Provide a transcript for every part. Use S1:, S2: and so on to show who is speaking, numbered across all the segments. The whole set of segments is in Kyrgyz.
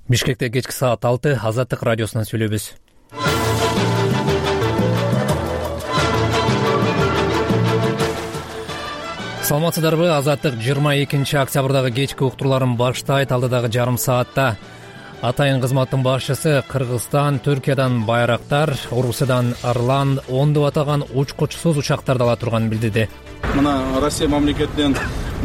S1: Бишкекте кечки саат 6 Азаттык радиосунан сүйлөйбүз. Саламатсыздарбы? Азаттык 22 октябрдагы кечки уктурларын баштайт. Алдыдагы жарым саатта атайын кызматтын башчысы Кыргызстан Түркиядан байрактар, Орусиядан Орлан, ондоп атаган учкучсуз учактарды ала турганын билдирди.
S2: Мына Россия мамлекетинен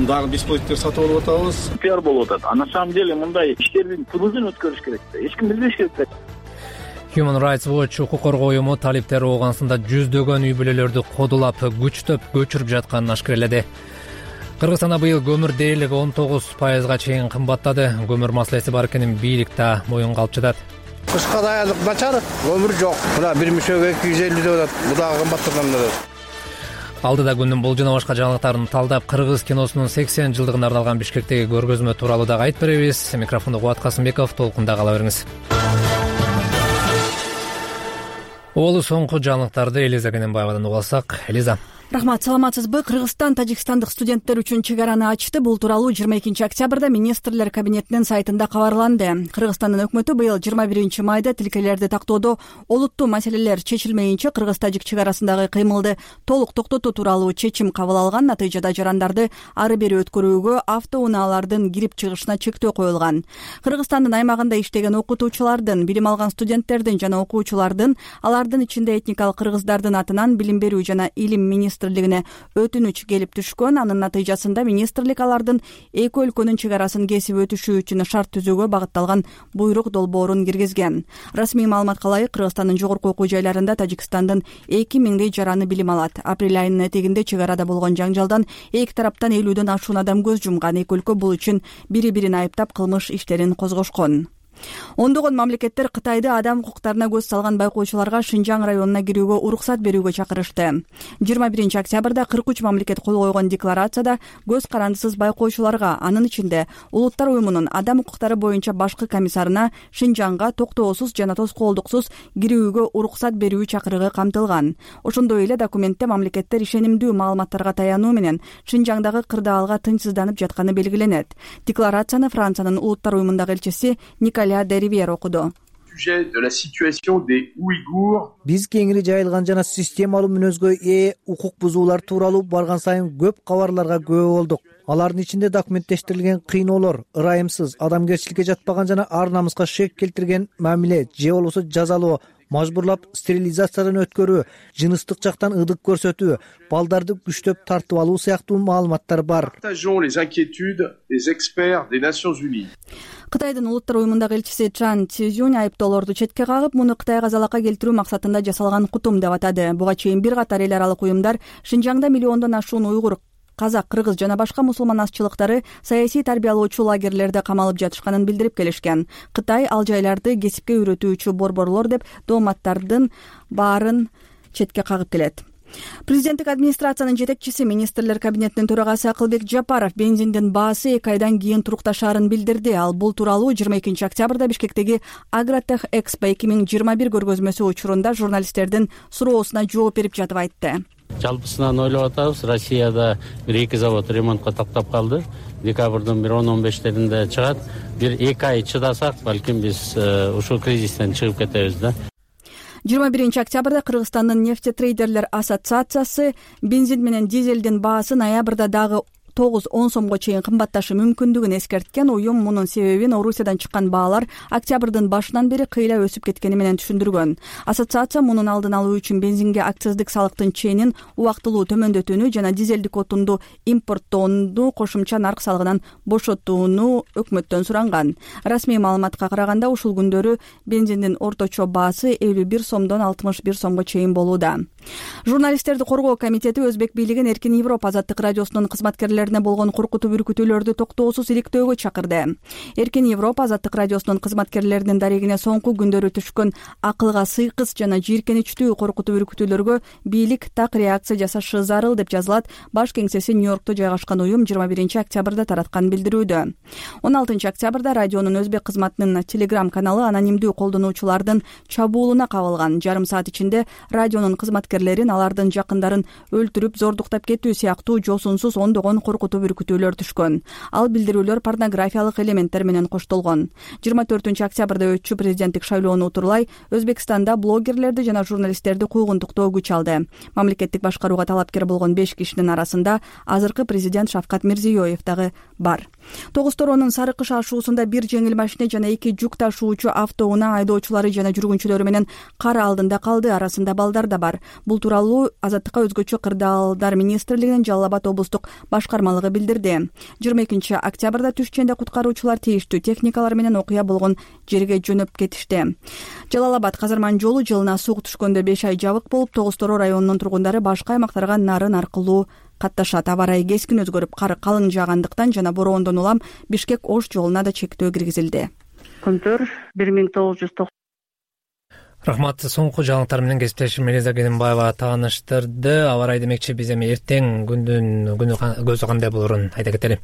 S2: дагы беспилотниктер сатып алып атабыз.
S3: Пиар болуп атат. А на самом деле мындай иштердин тубузун өткөрүш керек да. Эч ким билбеш керек да.
S1: Human Rights Watch укук коргоо уюму талиптер Оогансында жүздөгөн үй бүлөлөрдү кодулап, күчтөп көчүрүп жатканын ашкерледи. Кыргызстанда быйыл көмүр дээрлиги 19%га чейин кымбаттады. Көмүр маселеси бар экенин бийлик да моюнга алып жатат.
S4: Кышка даярдык начар, көмүр жок. Мына бир мишөөгө 250 деп атат. Бу дагы кымбаттаган.
S1: Алдыда күндүн бул жана башка жаңылыктарын талдап, кыргыз киносунун 80 жылдыгына арналган Бишкектеги көргөзмө тууралуу дагы айтып беребиз. Микрофонду Кубат Касымбеков, толкунда кала бериңиз. Олу соңку жаңылыктарды Элиза Кененбаевадан угуп алсак. Элиза.
S5: Рахмат, саламатсызбы? Кыргызстан тажикстандык студенттер үчүн чек араны ачты. Бул тууралуу 22 октябрда министрлер кабинетинин сайтында кабарланды. Кыргызстандын өкмөтү быйыл 21 майда тилкелерди тактоодо олуттуу маселелер чечилмейинче кыргыз-тажик чек арасындагы кыймылды толук токтотуу тууралуу чечим кабыл алган. Натыйжада жарандарды ары бери өткөрүүгө, автоунаалардын кирип чыгышына чектөө коюлган. Кыргызстандын аймагында иштеген окутуучулардын, билим алган студенттердин жана окуучулардын, алардын ичинде этникалык кыргыздардын атынан билим берүү жана илим министрлигине өтүнүч келип түшкөн. Анын натыйжасында министрлик алардын эки өлкөнүн чек арасын кесип өтүшү үчүн шарт түзүүгө багытталган буйрук долбоорун киргизген. Расмий маалыматка ылайык, Кыргызстандын жогорку окуу жайларында Тажикстандын 2000 жараны билим алат. Апрель айынын этегинде чек арада болгон жаңжалдан эки тараптан 50дөн ашуун адам көз жумган. Эки өлкө бул үчүн бири-бирин айыптап кылмыш иштерин козгошкон. Ондогон мамлекеттер Кытайды адам укуктарына көз салган байкоочуларга Шинжаң районуна кирүүгө уруксат берүүгө чакырышты. 21 октябрда 43 мамлекет кол койгон декларацияда көз карандысыз байкоочуларга, анын ичинде Улуттар уюмунун адам укуктары боюнча башкы комиссарына Шинжаңга токтоосуз жана тоскоолдуксуз кирүүгө уруксат берүү чакырыгы камтылган. Ошондой эле документте мамлекеттер ишенимдүү маалыматтарга таянуу менен Шинжаңдагы кырдаалга тынчсызданып жатканы белгиленет. Декларацияны Франциянын Улуттар уюмундагы элчиси Николя Деривьер окуду.
S6: Биз кеңири жайылган жана системалуу мүнөзгө ээ укук бузуулар тууралуу барган сайын көп кабарларга күбө болдук. Алардын ичинде документтештирилген кыйноолор, ырайымсыз, адамгерчиликке жатпаган жана ар намыска шек келтирген мамиле же болбосо жазалоо, мажбурлап стерилизациядан өткөрүү, жыныстык жактан ыдык көрсөтүү, балдарды күчтөп тартып алуу сыяктуу маалыматтар бар.
S5: Кытайдын Улуттар уюмундагы элчиси Чан Цзюнь айыптоолорду четке кагып, муну Кытайга залака келтирүү максатында жасалган кутум деп атады. Буга чейин бир катар эл аралык уюмдар Шинжаңда миллиондон ашуун уйгур, казак, кыргыз жана башка мусулман азчылыктары саясий тарбиялоочу лагерлерде камалып жатышканын билдирип келишкен. Кытай ал жайларды кесипке үйрөтүүчү борборлор деп дооматтардын баарын четке кагып келет. Президенттик администрациянын жетекчиси, министрлер кабинетинин төрагасы Акылбек Жапаров бензиндин баасы 2 айдан кийин турукташаарын билдирди. Ал бул тууралуу 22 октябрда Бишкектеги Агротех Экспо 2021 көргөзмөсү учурунда журналисттердин суроосуна жооп берип жатып айтты.
S7: Жалпысынан ойлоп атабыз, Россияда 1-2 завод ремонтко таптап калды. Декабрдын 10-15-теринде чыгат. 1-2 ай чыдасак, балким биз ушул кризистен чыгып кетебиз да.
S5: 21 октябрда Кыргызстандын нефтетрейдерлер ассоциациясы бензин менен дизелдин баасы ноябрда дагы 9-10 сомго чейин кымбатташы мүмкүндүгүн эскерткен. Уюм мунун себебин Орусиядан чыккан баалар октябрдын башынан бери кыйла өсүп кеткени менен түшүндүргөн. Ассоциация мунун алдын алуу үчүн бензинге акциздик салыктын ченин убактылуу төмөндөтүүнү жана дизелдик отунду импорттоону кошумча нарк салыгынан бошотууну өкмөттөн суранган. Расмий маалыматка караганда ушул күндөрү бензиндин орточо баасы 51 сомдон 61 сомго чейин болууда. Журналисттерди коргоо комитети Өзбек бийлигин Эркин Европа Азаттык радиосунун кызматкерлерине болгон коркутуп үркүтүүлөрдү токтоосуз иликтөөгө чакырды. Эркин Европа Азаттык радиосунун кызматкерлеринин дарегине соңку күндөрү түшкөн акылга сыйкыс жана жийиркеничтүү коркутуп үркүтүүлөргө бийлик так реакция жасашы зарыл деп жазылат баш кеңсеси Нью-Йоркто жайгашкан уюм 21 октябрда тараткан билдирүүдө. 16 октябрда радионун Өзбек кызматынын Telegram каналы анонимдүү колдонуучулардын чабуулуна кабылган. Жарым саат ичинде радионун кызматкерлерин, алардын жакындарын өлтүрүп, зордуктап кетүү сыяктуу жосунсуз ондогон коркутуу бүркүтүүлөр түшкөн. Ал билдирүүлөр порнографиялык элементтер менен коштолгон. 24 октябрда өтчү президенттик шайлоону утурлай Өзбекстанда блогерлерди жана журналисттерди куугунтуктоо күч алды. Мамлекеттик башкарууга талапкер болгон 5 кишинин арасында азыркы президент Шавкат Мирзиёев дагы бар. Тогуз-Торонун Сары Кыш ашуусунда бир жеңил машина жана 2 жүк ташуучу автоунаа айдоочулары жана жүргүнчүлөрү менен кар алдында калды, арасында балдар да бар. Бул тууралуу Азаттыкка өзгөчө кырдаалдар министрлигинин Жалал Абад облустук башкармалыгы билдирди. 22 октябрда түш ченде куткаруучулар тийиштүү техникалар менен окуя болгон жерге жөнөп кетишти. Жалал Абад Казарман жолу жылына сук түшкөндө 5 ай жабык болуп, Тогуз-Тороо районунун тургундары башка аймактарга нарын аркылуу катташат. Аба ырайы кескин өзгөрүп, кар калың жаагандыктан жана бороондон улам Бишкек-Ош жолуна да чектөө киргизилди.
S8: Күндөр 1990.
S1: Рахмат. Соңку жаңылыктар менен кесиптешим Элиза Кенимбаева тааныштырды. Аба ырайы демекчи, биз эми эртең күнү көзү кандай болорун айта кетели.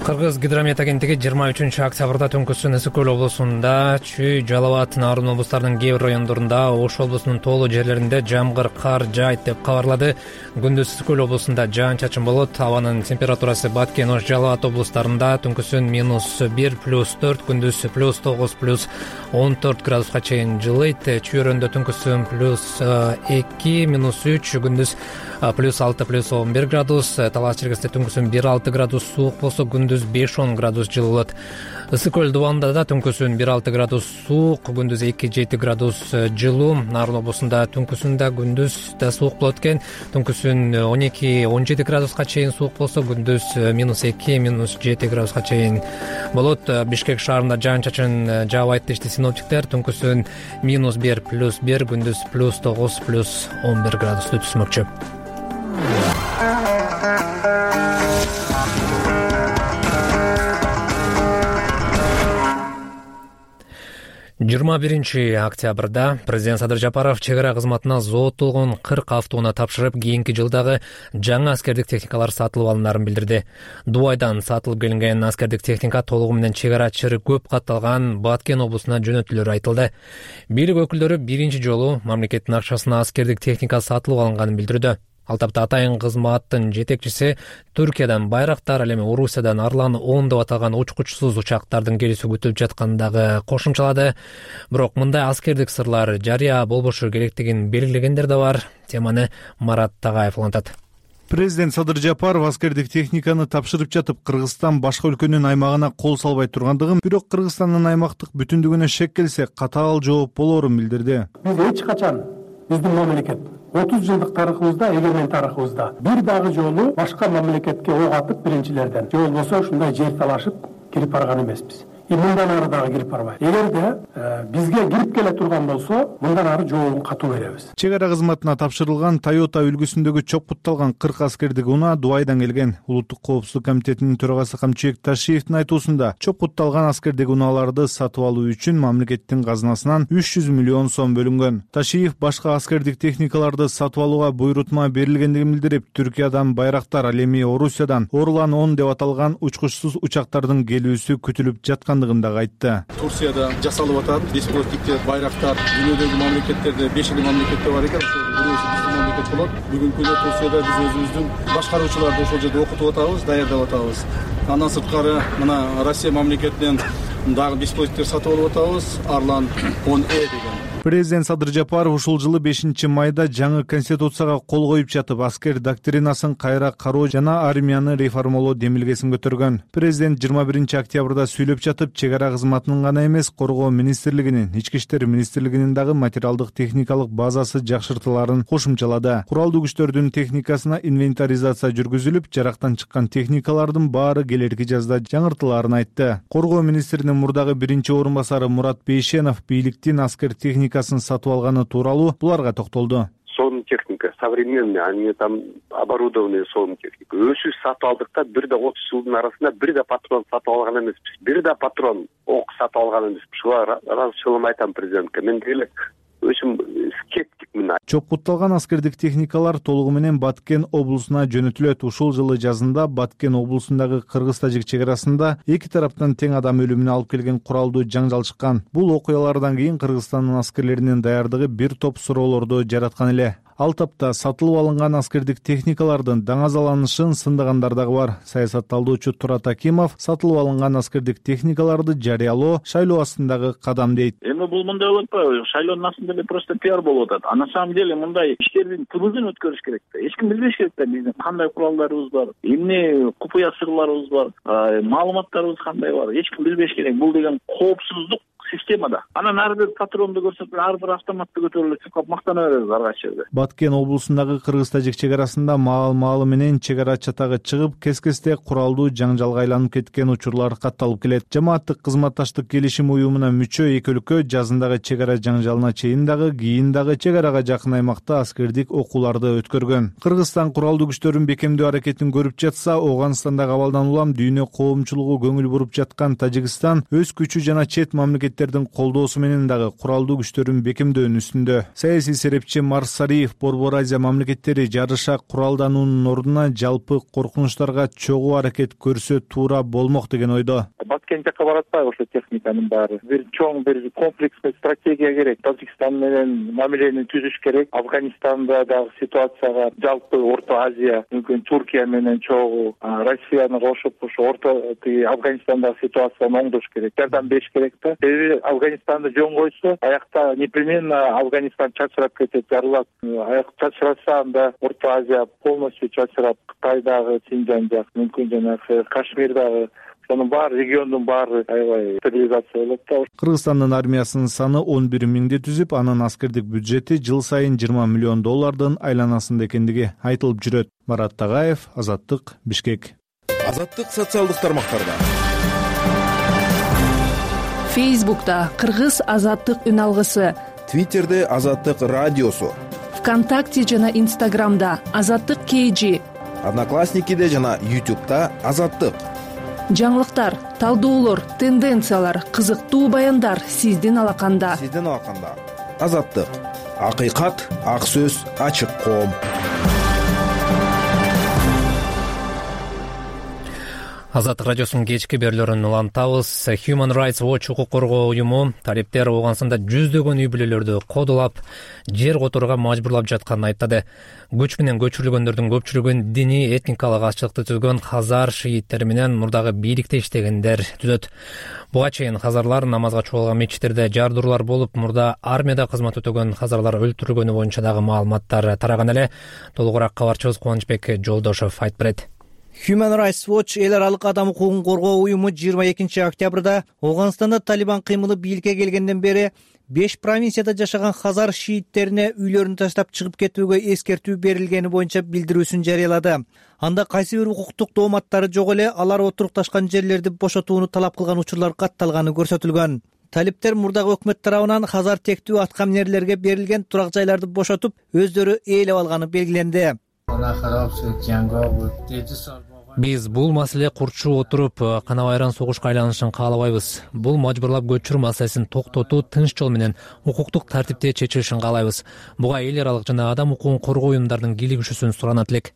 S1: Кыргыз гидромет агенттиги 23 октябрда түнкүсүн Ысык көл облусунда, Чүй, Жалал Абад, Нарын облустарынын кээ бир райондорунда, Ош облусунун тоолуу жерлеринде жамгыр, кар жаайт деп кабарлады. Күндүз Ысык көл облусунда жаан-чачын болот. Абанын температурасы Баткен, Ош, Жалал Абад облустарында түнкүсүн -1 +4, күндүз +9 +14 градуска чейин жылыйт. Чүй өрөндө түнкүсүн +2 -3, күндүз +6 +11 градус. Талас Черкесте түнкүсүн 1-6 градус суук болсо, күндүз 5-10 градус жылы болот. Ысык көл Дубанда да түнкүсүн 1-6 градус суук, күндүз 2-7 градус жылуу. Нарын облусунда түнкүсүн да күндүз да суук болот экен. Түнкүсүн 12-17 градуска чейин суук болсо, күндүз -2 -7 градуска чейин болот. Бишкек шаарында жаан-чачын жаабайт дешти синоптиктер. Түнкүсүн -1 +1, күндүз +9 +11 градусту түзмөкчү. 21 октябрда президент Садыр Жапаров чек ара кызматына зооттолгон 40 автоунаа тапшырып, кийинки жылдагы жаңы аскердик техникалар сатылып алынарын билдирди. Дубайдан сатылып келинген аскердик техника толугу менен чек арачы көп катталган Баткен облусуна жөнөтүлөрү айтылды. Бийлик өкүлдөрү биринчи жолу мамлекеттин акчасына аскердик техника сатылып алынганын билдирди. Ал тапта атайын кызматтын жетекчиси Түркиядан Байрактар, ал эми Орусиядан Арлан 10 деп аталган учкучсуз учактардын келүүсү күтүлүп жаткандыгы кошумчалады. Бирок мындай аскердик сырлар жарыя болбошу керектигин белгилегендер да бар. Теманы Марат Тагаев улантат.
S9: Президент Садыр Жапаров аскердик техниканы тапшырып жатып, Кыргызстан башка өлкөнүн аймагына кол салбай тургандыгын, бирок Кыргызстандын аймактык бүтүндүгүнө шек келсе, катаал жооп болоорун билдирди.
S10: Биз эч качан биздин мамлекет 30 жылдык тарыхыбызда, эгермен тарыхыбызда бир дагы жолу башка мамлекетке ок атып биринчилерден же болбосо ушундай жер талашып кирип барган эмеспиз. Мындан ары дагы кирип барбайт. Эгерде бизге кирип келе турган болсо, мындан ары жообун катуу беребиз.
S9: Чек ара кызматына тапшырылган Toyota үлгүсүндөгү чоопутталган 40 аскердик унаа Дубайдан келген. Улуттук коопсуздук комитетинин төрагасы Камчыбек Ташиевдин айтуусунда, чоопутталган аскердик унааларды сатып алуу үчүн мамлекеттин казынасынан 300 миллион сом бөлүнгөн. Ташиев башка аскердик техникаларды сатып алууга буйрутма берилгендигин билдирип, Түркиядан Байрактар, ал эми Орусиядан Орлан 10 деп аталган учкучсуз учактардын келүүсү күтүлүп жаткан айтты.
S2: Турцияда жасалып атат. Беспилотниктер, Байрактар, дүйнөдөгү мамлекеттерде 5 мамлекетте бар экен. Бирөөсү биздин мамлекет болот. Бүгүнкү күндө Турцияда биз өзүбүздүн башкаруучуларды ошол жерде окутуп атабыз, даярдап атабыз. Андан сырткары мына Россия мамлекетинен дагы беспилотниктер сатып алып атабыз. Арлан 10 деген.
S9: Президент Садыр Жапаров ушул жылы 5 майда жаңы конституцияга кол коюп жатып, аскер доктринасын кайра кароо жана армияны реформалоо демилгесин көтөргөн. Президент 21 октябрда сүйлөп жатып, чек ара кызматынын гана эмес, коргоо министрлигинин, ички иштер министрлигинин дагы материалдык техникалык базасы жакшыртыларын кошумчалады. Куралдуу күчтөрдүн техникасына инвентаризация жүргүзүлүп, жарактан чыккан техникалардын баары келерки жазда жаңыртыларын айтты. Коргоо министринин мурдагы биринчи орун басары Мурат Бейшенов бийликтин аскер техникасын сатып алганы тууралуу буларга токтолду.
S11: Сонун техника, современный, они там оборудованные сонун техника. Өзүбүз сатып алдык да, бир да 30 жылдын арасында бир да патрон сатып алган эмеспиз. Бир да патрон ок сатып алган эмеспиз. Шуга разычылык айтам президентке. Мен деле өзүм скептикмин.
S9: Чоопутталган аскердик техникалар толугу менен Баткен облусуна жөнөтүлөт. Ушул жылы жазында Баткен облусундагы кыргыз-тажик чек арасында эки тараптан тең адам өлүмүнө алып келген куралдуу жаңжал чыккан. Бул окуялардан кийин Кыргызстандын аскерлеринин даярдыгы бир топ суроолорду жараткан эле. Ал тапта сатылып алынган аскердик техникалардын даңазаланышын сындыгандар дагы бар. Саясатталдоочу Турат Акимов сатылып алынган аскердик техникаларды жарыялоо шайлоо астындагы кадам дейт.
S3: Эми бул мындай болуп атпайбы? Шайлоонун астында эле просто пиар болуп атат. А на самом деле мындай иштердин тубузун өткөрүш керек да. Эч ким билбеш керек да биздин кандай куралдарыбыз бар, эмне купуя сырларыбыз бар, маалыматтарыбыз кандай бар. Эч ким билбеш керек. Бул деген коопсуздук системада. Анан ар бир патронду көрсөтүп, ар бир автоматты көтөрүлүп чыккап мактана беребиз ар кайсы жерде.
S9: Баткен облусундагы кыргыз-тажик чек арасында маал менен чек ара чатагы чыгып, кес-кесте куралдуу жаңжалга айланып кеткен учурлар катталып келет. Жамааттык кызматташтык келишим уюмуна мүчө эки өлкө жазындагы чек ара жаңжалына чейин дагы, кийин дагы чек арага жакын аймакта аскердик окууларды өткөргөн. Кыргызстан куралдуу күчтөрүн бекемдөө аракетин көрүп жатса, Ооганстандагы абалдан улам дүйнө коомчулугу көңүл буруп жаткан Тажикстан өз күчү жана чет мамлекеттердин колдоосу менен дагы куралдуу күчтөрүн бекемдөөнүн үстүндө. Саясий серепчи Марс Сариев Борбор Азия мамлекеттери жарыша куралдануунун ордуна жалпы коркунучтарга чогуу аракет көрсө туура болмок деген ойдо.
S12: Баткен жакка баратпайбы ошо техниканын баары? Бир чоң бир комплексный стратегия керек. Тажикстан менен мамилени түзүш керек. Афганистанда дагы ситуацияга жалпы Орто Азия, мүмкүн Туркия менен чогуу Россияны кошуп ошо Афганистандагы ситуацияны оңдош керек. Жардам бериш керек да. Афганистанды жөн койсо, аякта непременно Афганистан чачырап кетет, жарылат. Аяк чачыраса, анда Орто Азия полностью чачырап, Кытайдагы Синжан жак, мүмкүн жанагы Кашмирдагы, ошонун баары региондун баары аябай стабилизация болот да.
S9: Кыргызстандын армиясынын саны 11 миңди түзүп, анын аскердик бюджети жыл сайын 20 миллион доллардын айланасында экендиги айтылып жүрөт. Марат Тагаев, Азаттык, Бишкек.
S13: Азаттык социалдык тармактарда.
S14: Фейсбукта Кыргыз азаттык үн алгысы,
S13: Твиттерде Азаттык радиосу,
S14: ВКонтакте жана Инстаграмда Азаттык KG,
S13: Одноклассникиде жана YouTube'да Азаттык.
S14: Жаңылыктар, талдоолор, тенденциялар, кызыктуу баяндар сиздин алаканда.
S13: Азаттык. Акыйкат, ак сөз, ачык коом.
S1: Азаттык радиосунун кечки берүүлөрүн улантабыз. Human Rights Watch укук коргоо уюму талиптер Ооганстанда жүздөгөн үй бүлөлөрдү кодулап, жер которууга мажбурлап жатканын айттады. Көч менен көчүрүлгөндөрдүн көпчүлүгүн диний этникалык азчылыкты түзгөн хазар шииттери менен мурдагы бийликте иштегендер түзөт. Буга чейин хазарлар намазга чогулган мечиттерде жардыруулар болуп, мурда армияда кызмат өтөгөн хазарлар өлтүрүлгөнү боюнча дагы маалыматтар тараган эле. Толугураак кабарчыбыз Кубанычбек Жолдошов айтып берет.
S6: Human Rights Watch эл аралык адам укугун коргоо уюму 22 октябрда Ооганстанда Талибан кыймылы бийликке келгенден бери 5 провинцияда жашаган хазар шииттерине үйлөрүн таштап чыгып кетүүгө эскертүү берилгени боюнча билдирүүсүн жарыялады. Анда кайсы бир укуктук дооматтары жок эле алар отурукташкан жерлерди бошотууну талап кылган учурлар катталганы көрсөтүлгөн. Талиптер мурдагы өкмөт тарабынан хазар тектүү аткаминерлерге берилген турак жайларды бошотуп, өздөрү ээлеп алганы белгиленди.
S1: Биз бул маселе курчу отуруп, канабайран согушка айланышын каалабайбыз. Бул мажбурлап көчүрүү маселесин токтотуу тынч жол менен укуктук тартипте чечилишин каалайбыз. Буга эл аралык жана адам укугун коргоо уюмдарынын кийлигишүүсүн суранат элек.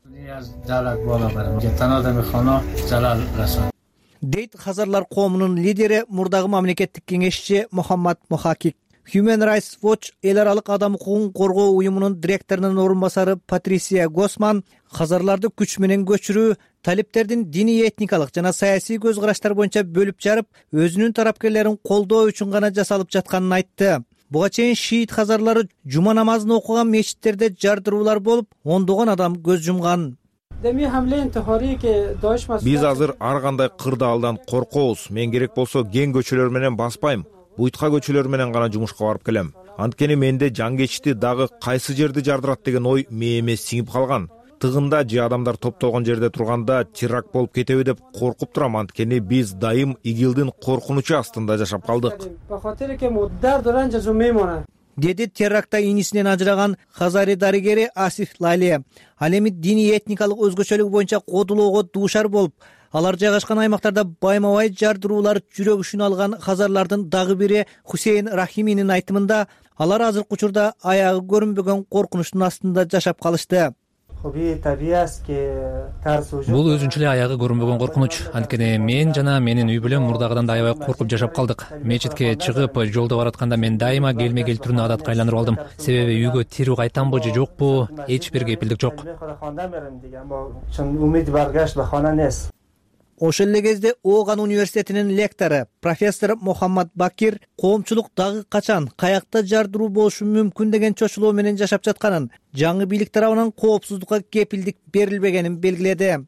S6: Дейт хазарлар коомунун лидери, мурдагы мамлекеттик кеңешчи Мухаммад Мухакик. Human Rights Watch эл аралык адам укугун коргоо уюмунун директорунун орун басары Патрисия Госман хазарларды күч менен көчүрүү, талиптердин диний этникалык жана саясий көз караштар боюнча бөлүп жарып, өзүнүн тарапкерлерин колдоо үчүн гана жасалып жатканын айтты. Буга чейин шиит хазарлары жума намазын окуган мечиттерде жардыруулар болуп, ондогон адам көз жумган.
S15: Биз азыр ар кандай кырдаалдан коркобуз. Мен керек болсо кең көчөлөр менен баспайм. Буйтка көчөлөр менен гана жумушка барып келем. Анткени менде жан кечти дагы кайсы жерди жардырат деген ой мээме сиңип калган. Тыгында же адамдар топтолгон жерде турганда теракт болуп кетеби деп коркуп турам, анткени биз дайым ИГИЛдин коркунучу астында жашап калдык.
S6: Деди терактта инисинен ажыраган хазари дарыгери Асиф Лали. Ал эми диний этникалык өзгөчөлүк боюнча кодулоого дуушар болуп, алар жайгашкан аймактарда байма-бай жардыруулар жүрөк үшүн алган хазарлардын дагы бири Хусейн Рахиминин айтымында, алар азыркы учурда аягы көрүнбөгөн коркунучтун астында жашап калышты.
S1: Бул өзүнчө эле аягы көрүнбөгөн коркунуч. Анткени мен жана менин үй бүлөм мурдагыдан да аябай коркуп жашап калдык. Мечитке чыгып жолдо баратканда мен дайыма келме келтирүүнү адатка айландырып алдым. Себеби үйгө тирүү кайтамбы же жокпу, эч бир кепилдик жок.
S6: Ошол эле кезде Ооган университетинин лектору профессор Мухаммад Бакир коомчулук дагы качан, каякта жардыруу болушу мүмкүн деген чочулоо менен жашап жатканын, жаңы бийлик тарабынан коопсуздукка кепилдик берилбегенин белгиледи.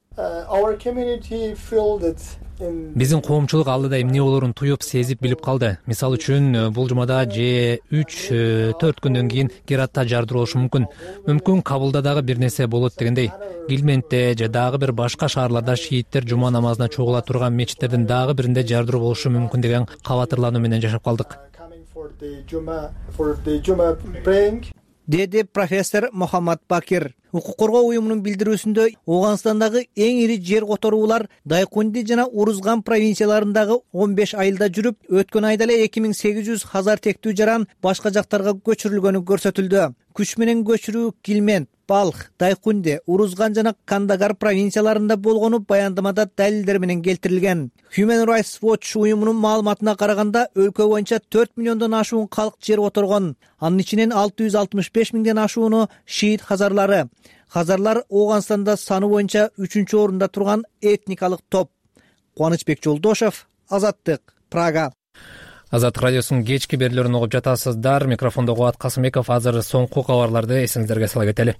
S1: Биздин коомчулук алдыда эмне болоорун туюп, сезип билип калды. Мисалы үчүн, бул жумада же 3-4 күндөн кийин Гератта жардыруу болушу мүмкүн. Мүмкүн Кабулда дагы бир нерсе болот дегендей. Гилментте же дагы бир башка шаарларда шииттер жума намазына чогула турган мечиттердин дагы биринде жардыруу болушу мүмкүн деген кабатырлануу менен жашап калдык.
S6: Деди профессор Мухаммад Бакир. Укук коргоо уюмунун билдирүүсүндө Ооганстандагы эң ири жер которуулар Дайкунди жана Урузган провинцияларындагы 15 айылда жүрүп, өткөн айда эле 2800 хазар тектүү жаран башка жактарга көчүрүлгөнү көрсөтүлдү. Күч менен көчүрүү Гилмент, Балх, Дайкунди, Урузган жана Кандагар провинцияларында болгону баяндамада далилдер менен келтирилген. Human Rights Watch уюмунун маалыматына караганда, өлкө боюнча 4 миллиондон ашуун калк жер которгон. Анын ичинен 665 миңден ашууну шиит хазарлары. Хазарлар Ооганстанда саны боюнча 3-чү орунда турган этникалык топ. Кубанычбек Жолдошев, Азаттык, Прага.
S1: Азаттык радиосунун кечки берүүлөрүн угуп жатасыздар. Микрофондо Кубат Касымбеков. Азыр соңку кабарларды эсиңиздерге сала кетели.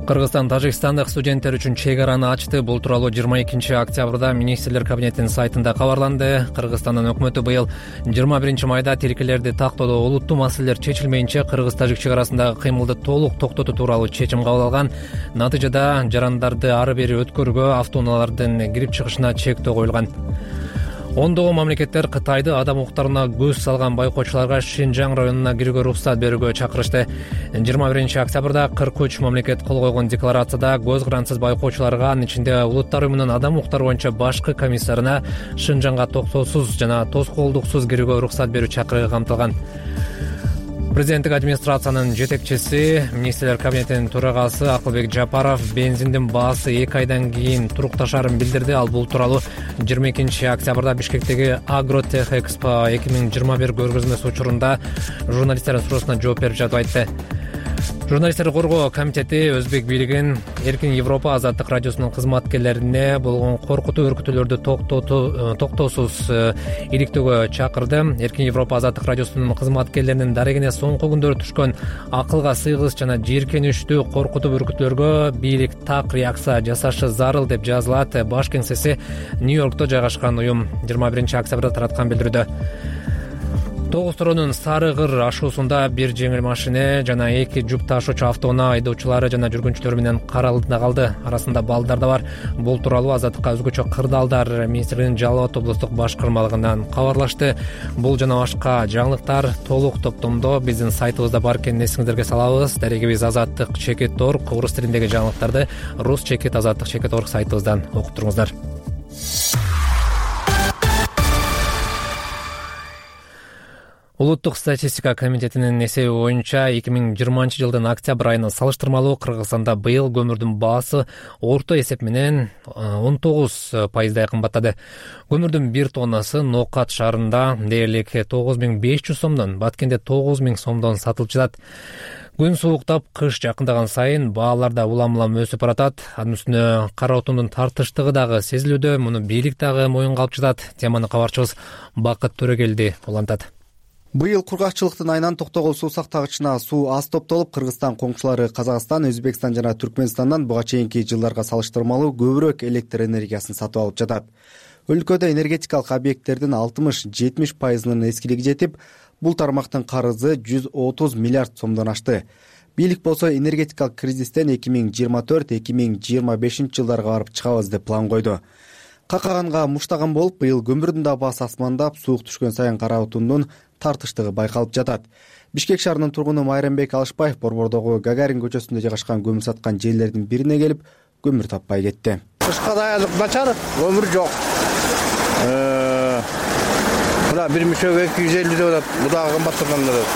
S1: Кыргызстан Тажикстандык студенттер үчүн чек араны ачты. Бул тууралуу 22 октябрда министрлер кабинетинин сайтында кабарланды. Кыргызстандын өкмөтү быйыл 21 майда тилкелерди тактоодо олуттуу маселелер чечилмейинче кыргыз-тажик чек арасындагы кыймылды толук токтотуу тууралуу чечим кабыл алган. Натыйжада жарандарды ары бери өткөрүүгө, автоунаалардын кирип чыгышына чектөө коюлган. Ондогон мамлекеттер Кытайды адам укуктарына көз салган байкоочуларга Шинжаң районуна кирүүгө уруксат берүүгө чакырышты. 21 октябрда 43 мамлекет кол койгон декларацияда көз карансыз байкоочуларга, анын ичинде Улуттар уюмунун адам укуктары боюнча башкы комиссарына Шинжаңга токтоосуз жана тоскоолдуксуз кирүүгө уруксат берүү чакырыгы камтылган. Президенттик администрациянын жетекчиси, министрлер кабинетинин төрагасы Акылбек Жапаров бензиндин баасы 2 айдан кийин турукташарын билдирди. Ал бул тууралуу 22 октябрда Бишкектеги Агротех Экспо 2021 көргөзмөсү учурунда журналисттердин суроосуна жооп берип жатып айтты. Журналисттерди коргоо комитети Өзбек бийлигин Эркин Европа Азаттык радиосунун кызматкерлерине болгон коркутуу өркүтүүлөрдү токтоосуз иликтөөгө чакырды. Эркин Европа Азаттык радиосунун кызматкерлеринин дарегине соңку күндөрү түшкөн акылга сыйгыс жана жийиркеничтүү коркутуу өркүтүүлөргө бийлик так реакция жасашы зарыл деп жазылат баш кеңсеси Нью-Йоркто жайгашкан уюм 21 октябрда тараткан билдирүүдө. Тогуз-Торонун Сары Кыр ашуусунда бир жеңил машина жана 2 жүк ташуучу автоунаа айдоочулары жана жүргүнчүлөр менен каралдында калды. Арасында балдар да бар. Бул тууралуу Азаттыкка өзгөчө кырдаалдар министрлигинин Жалал Абад облустук башкармалыгынан кабарлашты. Бул жана башка жаңылыктар толук топтомдо биздин сайтыбызда бар экенин эсиңиздерге салабыз. Дарегибиз azattik.org, орус тилиндеги жаңылыктарды rus.azattik.org сайтыбыздан окуп туруңуздар. Улуттук статистика комитетинин эсеби боюнча 2020 жылдын октябрь айына салыштырмалуу Кыргызстанда быйыл көмүрдүн баасы орто эсеп менен 19% кымбаттады. Көмүрдүн 1 тоннасы Нокат шаарында дээрлик 9500 сомдон, Баткенде 9000 сомдон сатылып жатат. Күн сууктап, кыш жакындаган сайын баалар да улам-улам өсүп баратат. Анын үстүнө кара отундун тартыштыгы дагы сезилүүдө, муну бийлик дагы моюнга алып жатат. Теманы кабарчыбыз Бакыт Төрөгелди улантат.
S16: Быйыл кургакчылыктын айынан токтогул суу сактагычына суу аз топтолуп, Кыргызстан коңшулары Казакстан, Өзбекстан жана Түркмөнстандан буга чейинки жылдарга салыштырмалуу көбүрөөк электр энергиясын сатып алып жатат. Өлкөдө энергетикалык объекттердин 60-70%-нын эскилиги жетип, бул тармактын карызы 130 миллиард сомдон ашты. Бийлик болсо энергетикалык кризистен 2024-2025 жылдарга барып чыгабыз деп план койду. Какаганга муштаган болуп, быйыл көмүрдүн да баасы асмандап, суук түшкөн сайын кара отундун тартыштыгы байкалып жатат. Бишкек шаарынын тургуну Майрамбек Алышбаев Борбордогу Гагарин көчөсүндө жайгашкан көмүр саткан жерлердин бирине келип, көмүр таппай кетти.
S4: Кышка даярдык начар, көмүр жок. Мына бир мүшөгө 250 деп атат, бул дагы кымбаттаган деп.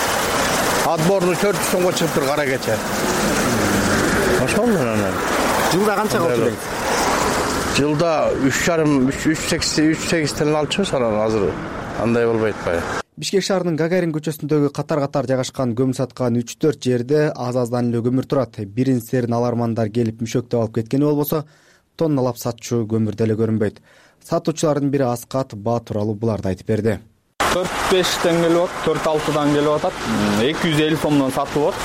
S4: отборный 400 сомго чыгыптыр кара кече.
S17: Ошол менен
S4: Жылда канчага отурат? Жылда 3,8 алып чыгабыз анан азыр андай болбой атпайбы.
S16: Бишкек шаарынын Гагарин көчөсүндөгү катар жайгашкан көмүр саткан 3-4 жерде аз-аздан эле көмүр турат. Биринсерин алармандар келип мүшөктөп алып кеткени болбосо, тонналап сатчу көмүр деле көрүнбөйт. Сатуучулардын бири Аскат Ба тууралуу буларды айтып берди.
S18: 4-5тен келип атат, 4-6дан келип атат. 250 сомдон сатылып атат.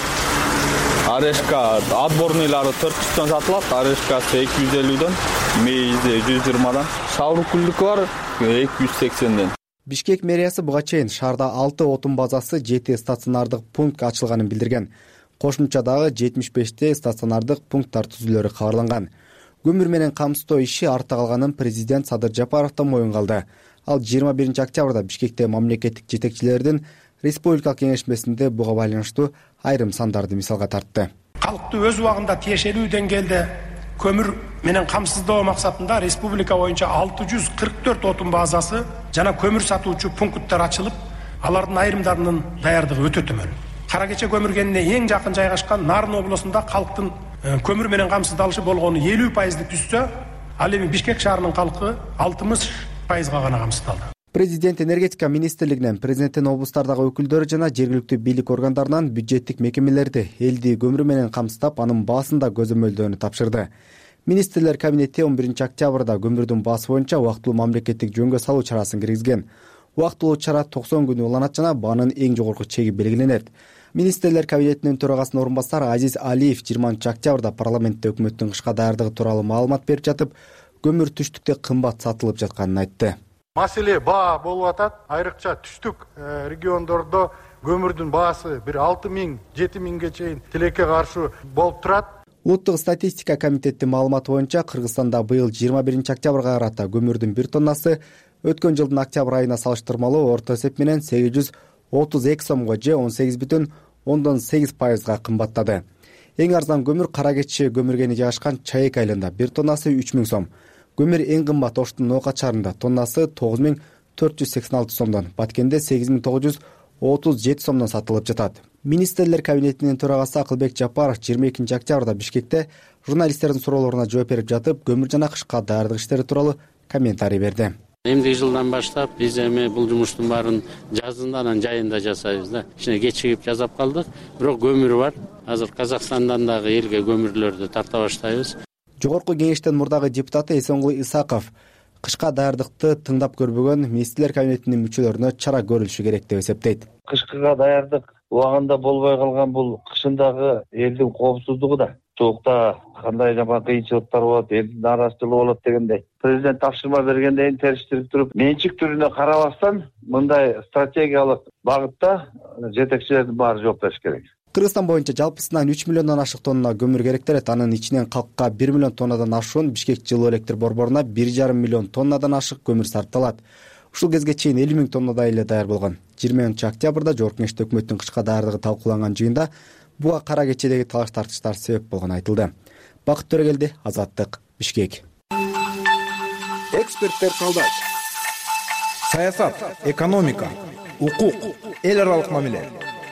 S18: Орешка отборныйлары 400төн сатылат, орешкасы 250дөн, мейизи 120дан. Шаврукулдуку бар 280ден.
S16: Бишкек мэриясы буга чейин шаарда 6 отун базасы, 7 стационардык пункт ачылганын билдирген. Кошумча дагы 75 стационардык пункттар түзүлөрү кабарланган. Көмүр менен камсыздоо иши артта калганын президент Садыр Жапаровдон моюнга алды. Ал 21 октябрда Бишкекте мамлекеттик жетекчилердин республикалык кеңешмесинде буга байланыштуу айрым сандарды мисалга тартты.
S10: Калкты өз убагында тиешелүү деңгээлде көмүр менен камсыздоо максатында республика боюнча 644 отун базасы жана көмүр сатуучу пункттар ачылып, алардын айрымдарынын даярдыгы өтө төмөн. Кара кече көмүр кенине эң жакын жайгашкан Нарын облусунда калктын көмүр менен камсыздалышы болгону 50% түзсө, ал эми Бишкек шаарынын калкы 60%га гана камсыздалды.
S16: Президент энергетика министрлигинен, президенттин облустардагы өкүлдөрү жана жергиликтүү бийлик органдарынан бюджеттик мекемелерди элди көмүр менен камсыздап, анын баасын да көзөмөлдөөнү тапшырды. Министрлер кабинети 11 октябрда көмүрдүн баасы боюнча убактылуу мамлекеттик жөнгө салуу чарасын киргизген. Убактылуу чара 90 күн уланат жана баанын эң жогорку чеги белгиленет. Министрлер кабинетинин төрагасынын орун басары Азиз Алиев 20 октябрда парламентте өкмөттүн кышка даярдыгы тууралуу маалымат берип жатып, көмүр түштүктө кымбат сатылып жатканын айтты.
S19: Маселе баа болуп атат. Айрыкча түштүк региондордо көмүрдүн баасы 6,000–7,000ге чейин тилекке каршы болуп турат.
S16: Улуттук статистика комитетинин маалыматы боюнча Кыргызстанда быйыл 21 октябрга карата көмүрдүн бир тоннасы өткөн жылдын октябрь айына салыштырмалуу орто эсеп менен 832 сомго же 18,8% кымбаттады. Эң арзан көмүр кара кече көмүргени жайгашкан Чаек айылында бир тоннасы 3000 сом. Көмүр эң кымбат Оштун Ноокат шаарында тоннасы 9486 сомдон, Баткенде 8937 сомдон сатылып жатат. Министрлер кабинетинин төрагасы Акылбек Жапаров 22 октябрда Бишкекте журналисттердин суроолоруна жооп берип жатып, көмүр жана кышка даярдык иштери тууралуу комментарий берди.
S7: Эмдиги жылдан баштап биз эми бул жумуштун баарын жазында анан жайында жасайбыз да. Кичине кечигип жасап калдык, бирок көмүр бар. Азыр Казакстандан дагы элге көмүрлөрдү тарта баштайбыз.
S16: Жогорку кеңештин мурдагы депутаты Эсенгул Исаков кышка даярдыкты тыңдап көрбөгөн министрлер кабинетинин мүчөлөрүнө чара көрүлүшү керек деп эсептейт.
S20: Кышкыга даярдык убагында болбой калган бул кышындагы элдин коопсуздугу да. Соокта кандай жаман кыйынчылыктар болот, элдин нааразычылыгы болот дегендей. Президент тапшырма бергенден кийин териштирип туруп, менчик түрүнө карабастан мындай стратегиялык багытта жетекчилердин баары жооп бериш керек.
S16: Кыргызстан боюнча жалпысынан 3 миллиондон ашык тонна көмүр керектелет. Анын ичинен калкка 1 миллион тоннадан ашуун, Бишкек жылуу электр борборуна 1,5 миллион тоннадан ашык көмүр сарпталат. Ушул кезге чейин 50 000 тоннадай эле даяр болгон. 20 октябрда Жогорку Кеңеште өкмөттүн кышка даярдыгы талкууланган жыйында буга кара кечедеги талаш тартыштар себеп болгону айтылды. Бакыт Төрөгелди, Азаттык, Бишкек.
S13: Эксперттер талдайт. Саясат, экономика, укук, эл аралык мамиле,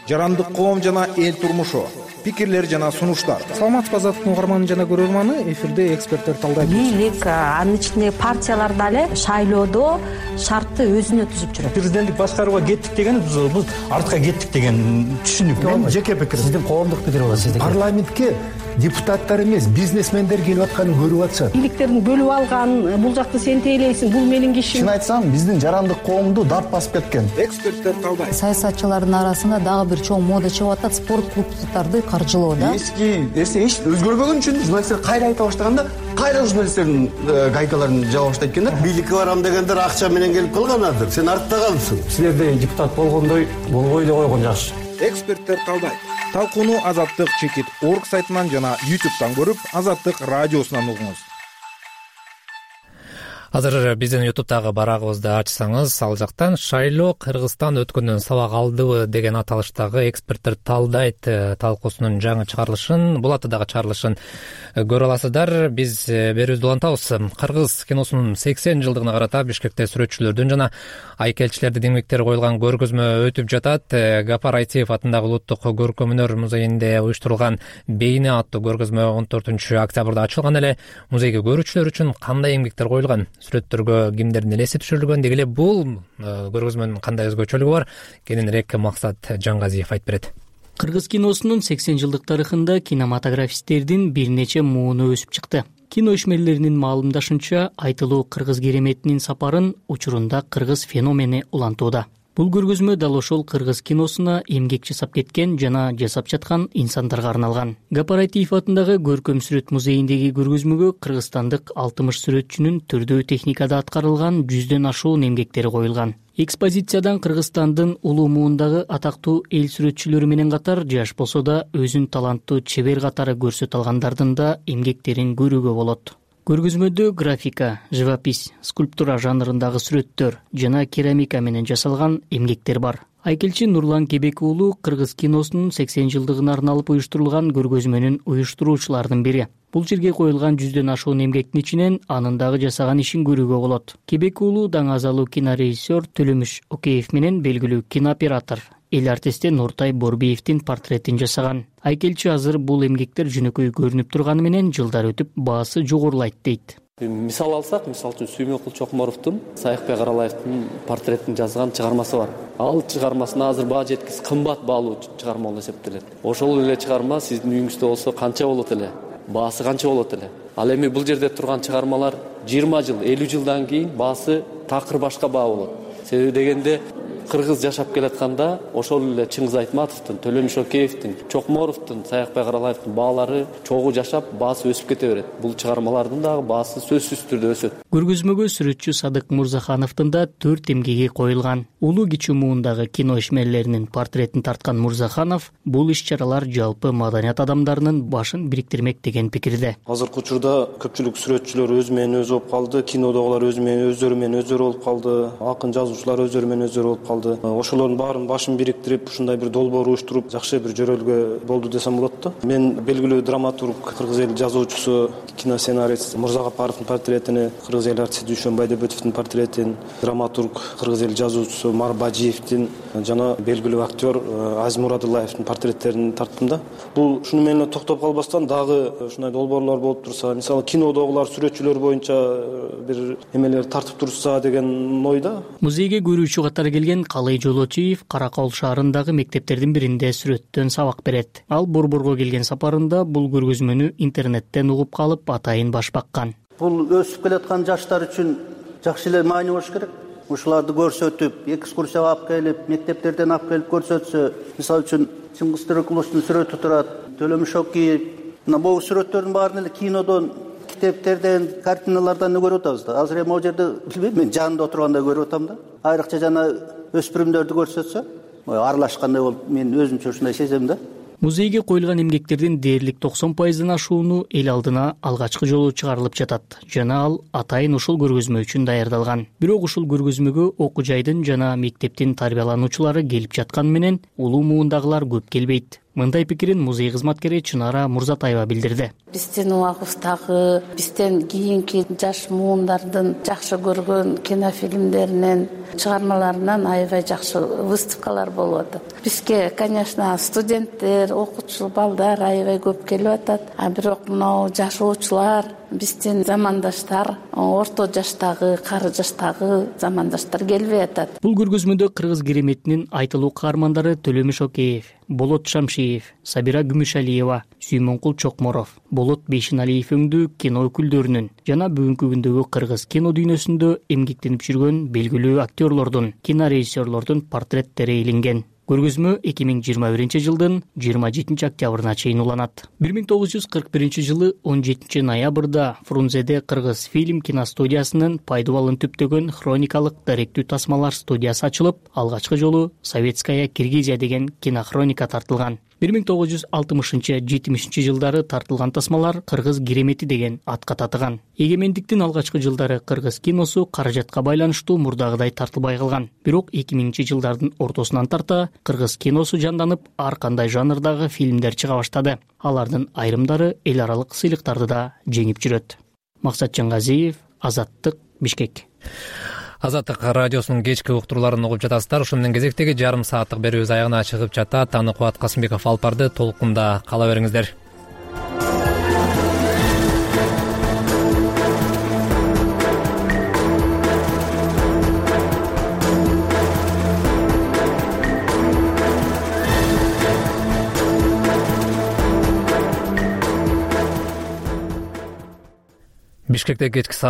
S13: жарандык коом жана эл турмушу, пикирлер жана сунуштар.
S6: Саламатсызбы, Азаттыктын угарманы жана көрөрманы, эфирде эксперттер талдайт.
S21: Бийлик, анын ичинде партиялар дагы шайлоодо шартты өзүнө түзүп жүрөт.
S22: Президенттик башкарууга кеттик деген бул артка кеттик деген түшүнүк. Мен жеке пикирим. Сиздин коомдук пикир бар. Парламентке депутаттар эмес, бизнесмендер келип атканын көрүп атышат.
S21: Бийликтердин бөлүп алган, бул жакты сен тейлейсиң, бул менин кишим.
S22: Чын айтсам, биздин жарандык коомду дап басып кеткен.
S13: Эксперттер талдайт.
S23: Саясатчылардын арасында дагы бир чоң мода чыгып атат, спорт клубдарды каржылоо да.
S22: Эски нерсе эч өзгөрбөгөн үчүн журналисттер кайра айта баштаганда, кайра журналисттердин гайкаларын жаба баштайт экен да.
S24: Бийликке барам дегендер акча менен келип калганадыр. Сен артта калыпсың.
S22: Силерде депутат болгондой болбой эле койгон жакшы.
S13: Эксперттер талдайт. Талкууну Азаттык.org сайтынан жана YouTube'дан көрүп, Азаттык радиосунан угуңуз.
S1: Азыр биздин YouTube'дагы барагыбызды ачсаңыз, ал жактан шайлоо Кыргызстан өткөндөн сабак алдыбы деген аталыштагы эксперттер талдайт талкуусунун жаңы чыгарылышын, бул атадагы чыгарылышын көрө аласыздар. Биз берүүбүздү улантабыз. Кыргыз киносунун 80 жылдыгына карата Бишкекте сүрөтчүлөрдүн жана айкелчилердин эмгектери коюлган көргөзмө өтүп жатат. Гапар Айтиев атындагы Улуттук көркөм-өнөр музейинде уюштурулган Бейне аттуу көргөзмө 14 октябрда ачылган эле. Музейге көрүүчүлөр үчүн кандай эмгектер коюлган, сүрөттөргө кимдердин элеси түшүрүлгөн, деги эле бул көргөзмөнүн кандай өзгөчөлүгү бар, кененирээк Максат Жаңгазиев айтып берет.
S2: Кыргыз киносунун 80 жылдык тарыхында кинематографисттердин бир нече мууну өсүп чыкты. Кино ишмерлеринин маалымдашынча, айтылуу кыргыз кереметинин сапарын учурунда кыргыз феномени улантууда. Бул көргөзмө дал ошол кыргыз киносуна эмгек жасап кеткен жана жасап жаткан инсандарга арналган. Гапар Айтиев атындагы Көркөм сүрөт музейиндеги көргөзмөгө кыргызстандык 60 сүрөтчүнүн түрдүү техникада аткарылган 100дөн ашуун эмгектери коюлган. Экспозициядан Кыргызстандын улуу муундагы атактуу эл сүрөтчүлөрү менен катар жаш болсо да өзүн таланттуу чебер катары көрсөтө алгандардын да эмгектерин көрүүгө болот. Көргөзмөдө графика, живопись, скульптура жанрындагы сүрөттөр жана керамика менен жасалган эмгектер бар. Айкелчи Нурлан Кебек уулу Кыргыз киносунун 80 жылдыгына арналып уюштурулган көргөзмөнүн уюштуруучуларынын бири. Бул жерге коюлган 100дөн ашуун эмгектин ичинен анын дагы жасаган ишин көрүүгө болот. Кебек уулу даңазалуу кинорежиссер Төлөмүш Океев менен белгилүү кинооператор эл артисти Нуртай Борбиевдин портретин жасаган. Айкелчи азыр бул эмгектер жөнөкөй көрүнүп турганы менен жылдар өтүп баасы жогорулайт дейт.
S5: Мисал алсак, мисалы үчүн Сүймөнкул Чокморовдун Саякбек Каралаевдин портретин жазган чыгармасы бар. Ал чыгармасына азыр баа жеткис кымбат баалуу чыгарма болуп эсептелет. Ошол эле чыгарма сиздин үйүңүздө болсо канча болот эле? Баасы канча болот эле? Ал эми бул жерде турган чыгармалар 20 жыл, 50 жылдан кийин баасы такыр башка баа болот. Себеби дегенде кыргыз жашап келатканда ошол эле Чыңгыз Айтматовдун, Төлөмүш Океевдин, Чокморовдун, Саякбек Каралаевдин баалары чогуу жашап, баасы өсүп кете берет. Бул чыгармалардын дагы баасы сөзсүз түрдө өсөт.
S2: Көргөзмөгө сүрөтчү Садык Мурзахановдун да 4 эмгеги коюлган. Улуу кичүү муундагы кино ишмерлеринин портретин тарткан Мурзаханов бул иш-чаралар жалпы маданият адамдарынын башын бириктирмек деген пикирде.
S8: Азыркы учурда көпчүлүк сүрөтчүлөр өз менен өзү болуп калды, кинодогулар өздөрү менен өздөрү болуп калды, акын жазуучулар өздөрү менен өздөрү болуп калды. Ошолордун баарын башын бириктирип, ушундай бир долбоор уюштуруп, жакшы бир жөрөлгө болду десем болот да. Мен белгилүү драматург, кыргыз эл жазуучусу, киносценарист Мурзагапаровдун портретин, кыргыз эл артисти Дүйшөн Байдебетовдун портретин, драматург, кыргыз эл жазуучусу Марбажиевдин жана белгилүү актер Азиз Мурадуллаевдин портреттерин тарттым да. Бул ушуну менен токтоп калбастан дагы ушундай долбоорлор болуп турса, мисалы кинодогулар сүрөтчүлөр боюнча бир эмелер тартып турса деген ойда.
S2: Музейге көрүүчү катары келген Калый Жолочиев Каракол шаарындагы мектептердин биринде сүрөттөн сабак берет. Ал Борборго келген сапарында бул көргөзмөнү интернеттен угуп калып атайын баш баккан.
S11: Бул өсүп келаткан жаштар үчүн жакшы эле маани болуш керек. Ушуларды көрсөтүп, экскурсияга алып келип, мектептерден алып келип көрсөтсө, мисалы үчүн Чыңгыз Төрөкуловдун сүрөтү турат, Төлөмүш Океев. Мына бул сүрөттөрдүн баарын эле кинодон, китептерден, картиналардан көрүп атабыз да. Азыр эми ал жерде билбейм, мен жанында отурганда көрүп атам да. Айрыкча жана өспүрүмдөрдү көрсөтсө, аралашкандай болуп мен өзүмчө ушундай сезем да.
S2: Музейге коюлган эмгектердин дээрлик 90% ашууну эл алдына алгачкы жолу чыгарылып жатат жана ал атайын ушул көргөзмө үчүн даярдалган. Бирок ушул көргөзмөгө окуу жайдын жана мектептин тарбиялануучулары келип жатканы менен улуу муундагылар көп келбейт. Мындай пикирин музей кызматкери Чынара Мурзатаева билдирди.
S25: Биздин убагыбыздагы, бизден кийинки жаш муундардын жакшы көргөн кинофильмдеринен, чыгармаларынан аябай жакшы выставкалар болуп атат. Бизге, конечно, студенттер, окуучу балдар аябай көп келип атат. Бирок мынау жашоочулар, биздин замандаштар, орто жаштагы, кары жаштагы замандаштар келбей атат.
S2: Бул көргөзмөдө кыргыз кереметинин айтылуу каармандары Төлөмүш Океев, Болот Шамшиев, Сабира Күмүшалиева, Сүймөнкул Чокморов, Болот Бейшеналиев өңдүү кино өкүлдөрүнүн жана бүгүнкү күндөгү кыргыз кино дүйнөсүндө эмгектенип жүргөн белгилүү актерлордун, кинорежиссерлордун портреттери илинген. Көргөзмө 2021 жылдын 27 октябрына чейин уланат. 1941 жылы 17 ноябрда Фрунзеде Кыргыз фильм киностудиясынын пайдубалын түптөгөн хроникалык даректүү тасмалар студиясы ачылып, алгачкы жолу Советская Киргизия деген кинохроника тартылган. 1960-70 жылдары тартылган тасмалар кыргыз керемети деген атка татыган. Эгемендиктин алгачкы жылдары кыргыз киносу каражатка байланыштуу мурдагыдай тартылбай калган. Бирок 2000 жылдардын ортосунан тарта кыргыз киносу жанданып, ар кандай жанрдагы фильмдер чыга баштады. Алардын айрымдары эл аралык сыйлыктарды да жеңип жүрөт. Максат Жаңгазиев, Азаттык, Бишкек.
S1: Азаттык радиосунун кечки уктурууларын угуп жатасыздар. Ушун менен кезектеги жарым сааттык берүүбүз аягына чыгып жатат. Аны Кубат Касымбеков алып барды. Толкунда кала бериңиздер. Бишкекте кечки саат